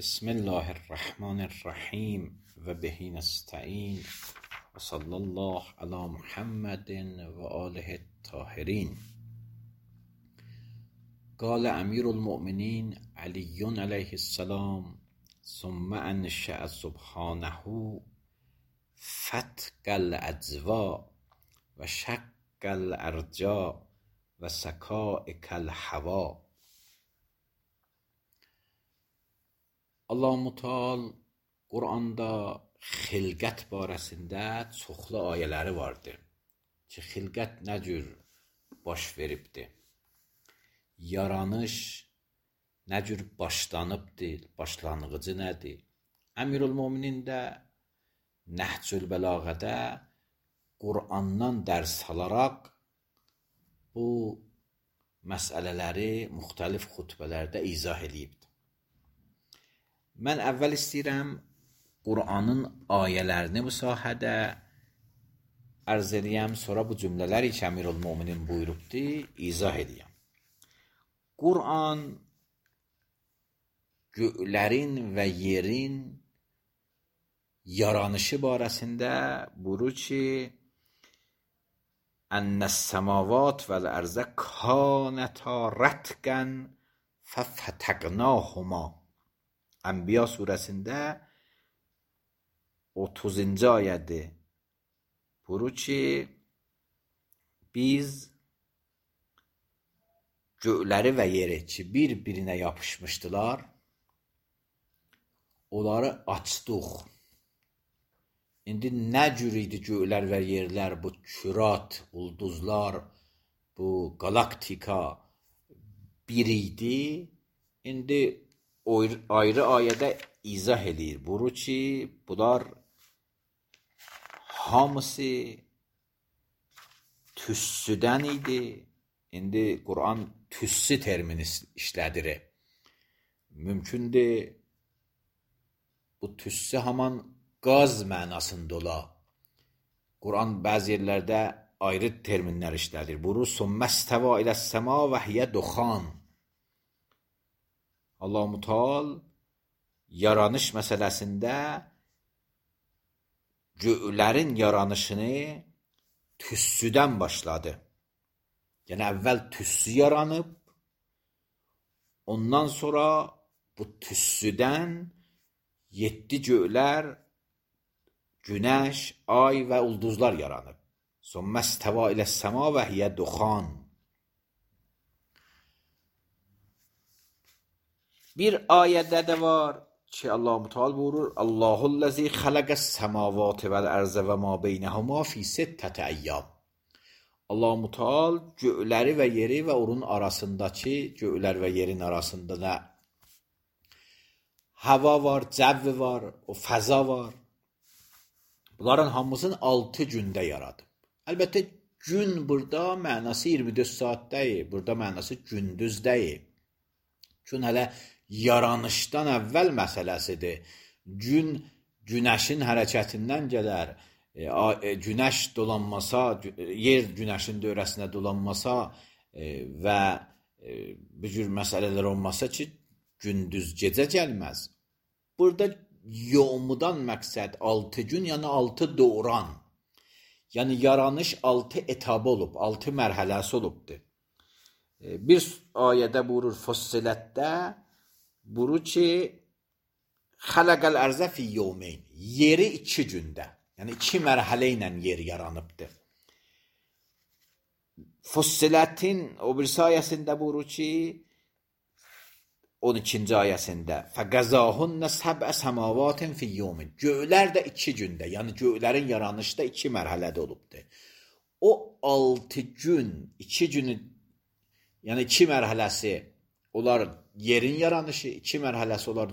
بسم الله الرحمن الرحیم و به نستعین و صلی الله علی محمد و آله الطاهرین. قال امیر المؤمنین علی علیه السلام ثم انشأ سبحانه فتق الاجزا و شق الارجاء و سکائک الهوا. Allah-u Teala Quranda xilqət barəsində çoxlu ayələri vardır ki, xilqət nə cür baş veribdir, yaranış nə cür başlanıbdır, başlanğıcı nədir. Əmirül-Möminin də Nəhcül Bəlağədə Qur'andan dərs alaraq bu məsələləri müxtəlif xutbələrdə izah edibdir. Mən əvvəl istəyirəm Qur'anın ayələrini bu sahədə ərz edəyəm, sonra bu cümlələri ki, Əmirül-Möminin buyurubdur, izah edəyəm. Qur'an göylərin və yerin yaranışı barəsində buyurur ki, Ənəs-səmavat vəl-ərzə kânətə rətqən fəfətəqnâhuma. Ənbiya surəsində 30-cu ayədir. Buyurur ki, biz göyləri və yeri ki, bir-birinə yapışmışdılar, onları açdıq. İndi nə cür idi göylər və yerlər, bu kürat, ulduzlar, bu galaktika bir idi. İndi ayrı ayədə izah edir. Buyurur ki, bunlar hamısı tüssüdən idi. İndi Qur'an tüssü termini işlədir. Mümkündür bu tüssü haman qaz mənasında ola. Qur'an bəzi yerlərdə ayrı terminlər işlədir. Buyurur, Sümmesteva iləs-səma və hiyə duxan. Allah-u Teala yaranış məsələsində göylərin yaranışını tüssüdən başladı. Yəni əvvəl tüssü yaranıb, ondan sonra bu tüssüdən 7 göylər, günəş, ay və ulduzlar yaranıb. Sümmesteva iləs-səma və hiyə duxan. Bir ayədə də var ki, Allah-u Teala buyurur, Allahullezî xalaqas-semâvâti vel-ərzə və mâ beynəhumâ fî sittəti əyyâm. Allah-u Teala göyləri və yeri və onun arasındakı, göylər və yerin arasında da hava var, cəvv var, o fəza var. Bunların hamısını 6 gündə yaradıb. Əlbəttə, gün burada mənası 24 saat deyil, burada mənası gündüz deyil. Gün hələ yaranışdan əvvəl məsələsidir. Gün günəşin hərəkətindən gələr. Günəş dolanmasa, yer günəşin dövrəsinə dolanmasa və bu cür məsələlər olmasa ki, gündüz gecə gəlməz. Burada yomudan məqsəd 6 gün, yəni 6 doğran. Yəni yaranış 6 etabı olub, 6 mərhələsi olubdur. Bir ayədə buyurur, Fussilətdə buyurur ki, xələqəl ərzə fi yevmeyn. Yeri 2 gündə, yəni 2 mərhələ ilə yer yaranıbdır. Fussilətin o birisi ayəsində buyurur ki, 12-ci ayəsində fəqəzahunə səbə səmavatin fi yevmeyn. Göylər də 2 gündə, yəni göylərin yaranışı da 2 mərhələdə olubdur. O 6 gün, 2 günü, yəni 2 mərhələsi olar yerin yaranışı, 2 mərhələsi olar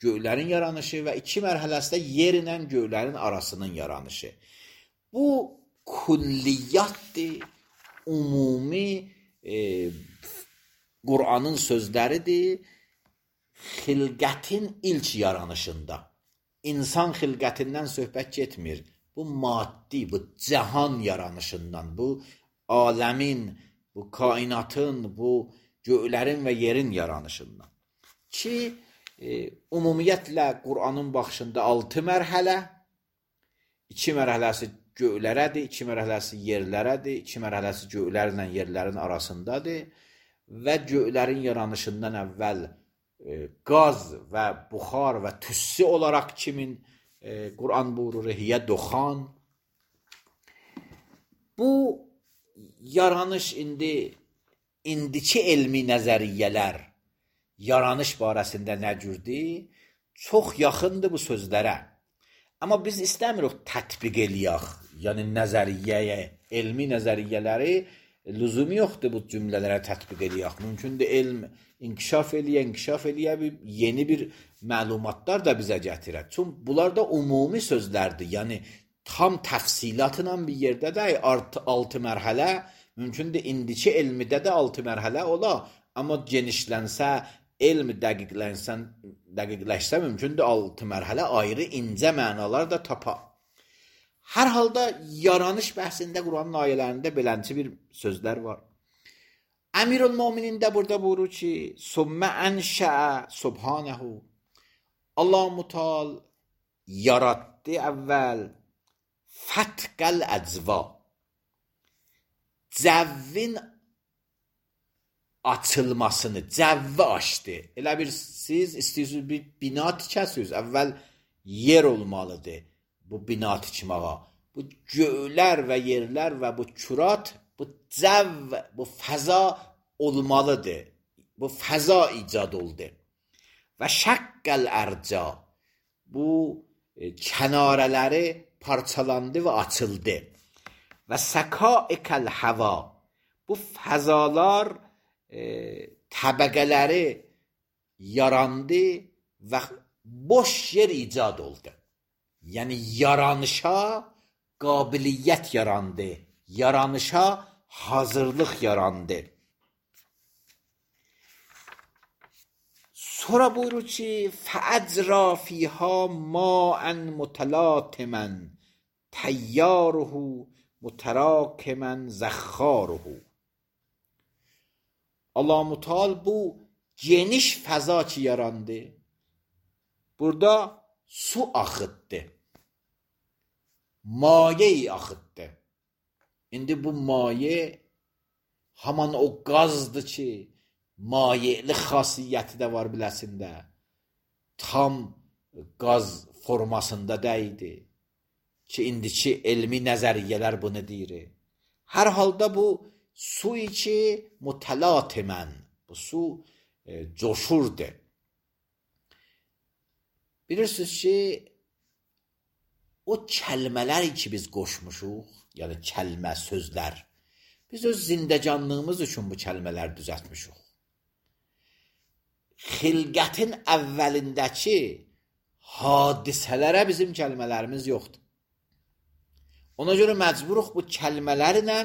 göylərin yaranışı və 2 mərhələsi də yer ilə göylərin arasının yaranışı. Bu külliyyatdır, ümumi Qur'anın sözləridir. Xilqətin ilk yaranışında. İnsan xilqətindən söhbət getmir. Bu maddi, bu cahan yaranışından, bu aləmin, bu kainatın, bu göylərin və yerin yaranışından. Ki, ümumiyyətlə Qur'anın baxışında 6 mərhələ, 2 mərhələsi göylərədir, 2 mərhələsi yerlərədir, 2 mərhələsi göylərlə yerlərin arasındadır və göylərin yaranışından əvvəl qaz və buxar və tüssü olaraq kimin Qur'an buyurur, hiyə duxan. Bu yaranış indiki elmi nəzəriyyələr yaranış barəsində nə cürdür? Çox yaxındır bu sözlərə. Amma biz istəmirik tətbiq eləyək, yəni nəzəriyyəyə, elmi nəzəriyyələri lüzum yoxdur bu cümlələrə tətbiq eləyək. Mümkündür elm inkişaf eləyə, yeni bir məlumatlar da bizə gətirər. Çünki bunlar da ümumi sözlərdir, yəni tam təfsilatla bir yerdə də 6 mərhələ, mümkündür indiki elmidə də 6 mərhələ ola, amma genişlənsə, elm dəqiqləşsə mümkündür 6 mərhələ ayrı incə mənalar da tapa. Hər halda yaranış bəhsində Quranın ayələrində belənçi bir sözlər var. Əmirül-Möminin də burada buyurur ki, Sümmə ənşəə subhanəhu. Allah-u Teala yaratdı əvvəl fətqəl əcva. Cəvvin açılmasını, cəvvi açdı. Elə bir siz istəyirsiniz bir bina tikəsiniz, əvvəl yer olmalıdır bu bina tikməyə. Bu göylər və yerlər və bu kürat, bu cəvv, bu fəza olmalıdır. Bu fəza icad oldu. Və şəqqəl ərca, bu kənarələri parçalandı və açıldı. Və səkaiqəl həva, bu fəzalar təbəqələri yarandı və boş yer icad oldu. Yəni yaranışa qabiliyyət yarandı, yaranışa hazırlıq yarandı. Sonra buyurur ki, فَأَجْرَى فِيهَا مَاءً مُتَلَاطِمًا تَيَّارُهُ مُتَرَاكِمًا زَخَّارُهُ. Allah-u Teala bu geniş fəza ki yarandı, burada su axıtdı, maye axıtdı. İndi bu maye haman o qazdır ki, mayeli xasiyyəti də var biləsində, tam qaz formasında deyildi ki, indiki elmi nəzəriyyələr bunu deyir. Hər halda bu su içi mütəlatimən, bu su coşurdu. Bilirsiniz ki, o kəlmələr ki biz qoşmuşuq, yəni kəlmə, sözlər, biz öz zindəcanlığımız üçün bu kəlmələr düzəltmişuq. Xilqətin əvvəlindəki hadisələrə bizim kəlmələrimiz yoxdur. Ona görə məcburuq bu kəlmələrlə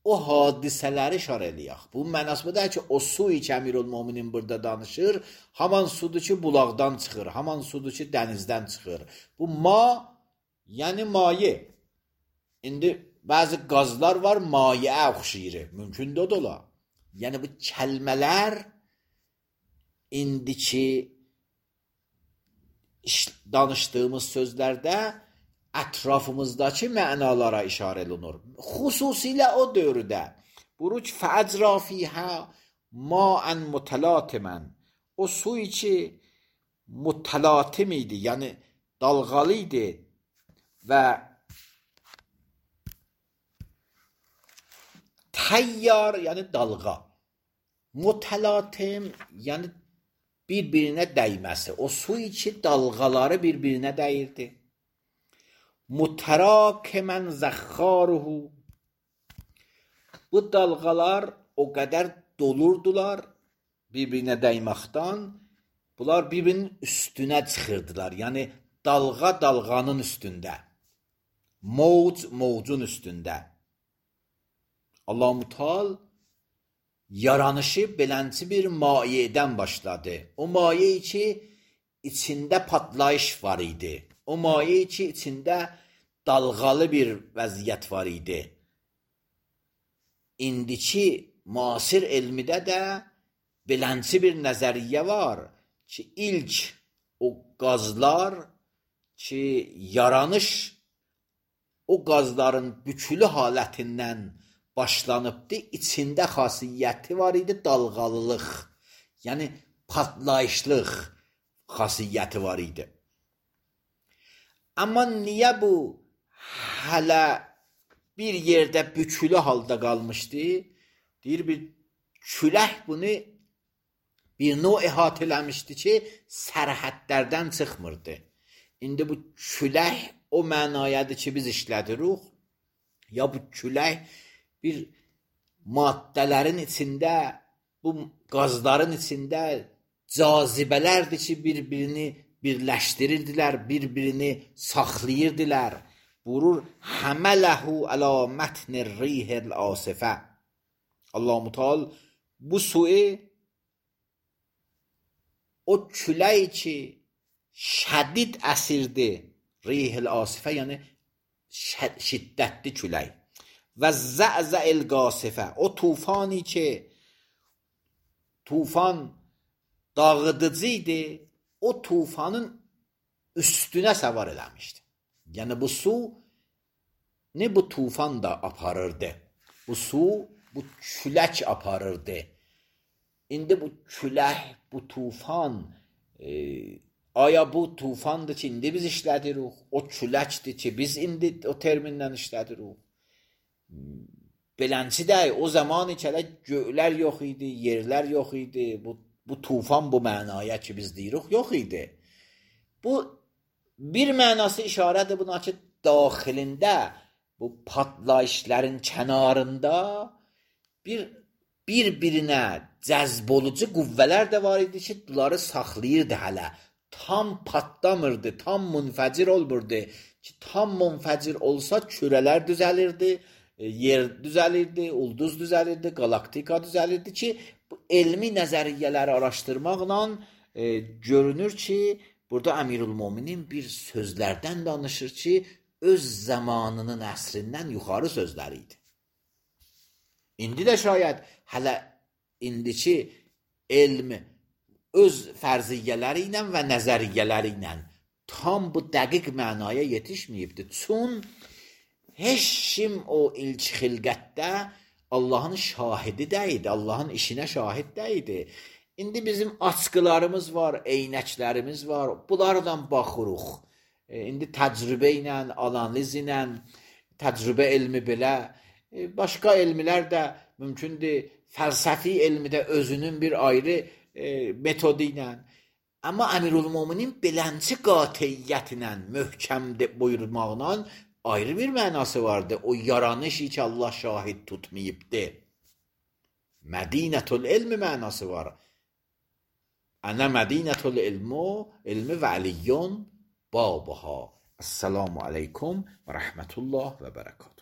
o hadisələri işarə eləyək. Bu mənasbədə ki, o su ki Əmirül-Möminin burada danışır, haman sudur ki bulaqdan çıxır, haman sudur ki dənizdən çıxır. Bu ma, yəni maye. İndi bəzi qazlar var, mayeə oxşayır. Mümkündür o da ola. Yəni bu kəlmələr indiki danışdığımız sözlərdə ətrafımızdakı mənalara işarə olunur. Xüsusilə o dövrdə buyurur ki, فَأَجْرَى فِيهَا مَاءً مُتَلَاطِمًا. O su ki mütəlatim idi, yəni dalğalı idi və təyyar, yəni dalğa. Mütəlatim, yəni bir-birinə dəyməsi. O su ki dalğaları bir-birinə dəyirdi. Mütərakimən zəxxaruhu. Bu dalğalar o qədər dolurdular bir-birinə dəyməkdən, bunlar bir-birinin üstünə çıxırdılar. Yəni dalğa dalğanın üstündə, mövc mövcun üstündə. Allah-u Teala yaranışı belənçi bir mayedən başladı. O maye ki içində patlayış var idi. O maye ki içində dalğalı bir vəziyyət var idi. İndiki müasir elmidə də belənçi bir nəzəriyyə var ki ilk o qazlar ki yaranış o qazların bükülü halətindən başlanıbdı. İçində xasiyyəti var idi, dalğalılıq, yəni patlayışlıq xasiyyəti var idi. Amma niyə bu hələ bir yerdə bükülü halda qalmışdı? Deyir, bir külək bunu bir növ əhatə eləmişdi ki, sərhədlərdən çıxmırdı. İndi bu külək o mənayadır ki, biz işlədirik. Ya bu külək bir maddələrin içində, bu qazların içində cazibələrdir ki, bir-birini birləşdirirdilər, bir-birini saxlayırdılar. Burur həmələhu əla mətnir rihil asifə. Allah-u Teala bu suyu o külək ki şədid əsirdi, rihil asifə yəni şiddətli külək və zə'zə'il qasifə, o tufani ki tufan dağıdıcı idi, o tufanın üstünə səvar eləmişdi. Yəni bu su ne bu tufan da aparırdı. Bu su bu külək aparırdı. İndi bu külək, bu tufan aya bu tufandır ki, indi biz işlədirik, o küləkdir ki, biz indi o termindən işlədirik. Belənçi də o zaman içələ göylər yox idi, yerlər yox idi, bu tufan bu mənaya ki biz deyirik, yox idi. Bu bir mənası işarədir buna ki, daxilində, bu patlayışların kənarında bir-birinə cəzb olucu qüvvələr də var idi ki, bunları saxlayırdı hələ. Tam patlamırdı, tam munfəcir olmurdu ki, tam munfəcir olsa kürələr düzəlirdi, yer düzəlirdi, ulduz düzəlirdi, galaktika düzəlirdi ki, bu elmi nəzəriyyələri araşdırmaqla görünür ki, burada Əmirül-Möminin bir sözlərdən danışır ki, öz zamanının əsrindən yuxarı sözləri idi. İndi də şayət hələ indiki elm öz fərziyyələri ilə və nəzəriyyələri ilə tam bu dəqiq mənaya yetişməyibdir. Çün heç kim o ilk xilqətdə Allahın şahidi deyildi, Allahın işinə şahid deyildi. İndi bizim askılarımız var, eynəklərimiz var, bunlardan baxırıq. İndi təcrübə ilə, analiz ilə, təcrübə elmi belə, başqa elmlər də mümkündür, fəlsəfi elmi də özünün bir ayrı metodu ilə. Amma Əmirül-Möminin belənçi qatiyyəti ilə, möhkəm buyurmaqla ayrı bir mənası vardı. O yaranışı ki Allah şahid tutmayıbdı. Mədinətül elmi mənası var. Ənə mədinətül ilmi və əliyyun babuha. Esselamu aleykum və rəhmətullah və bərəkət.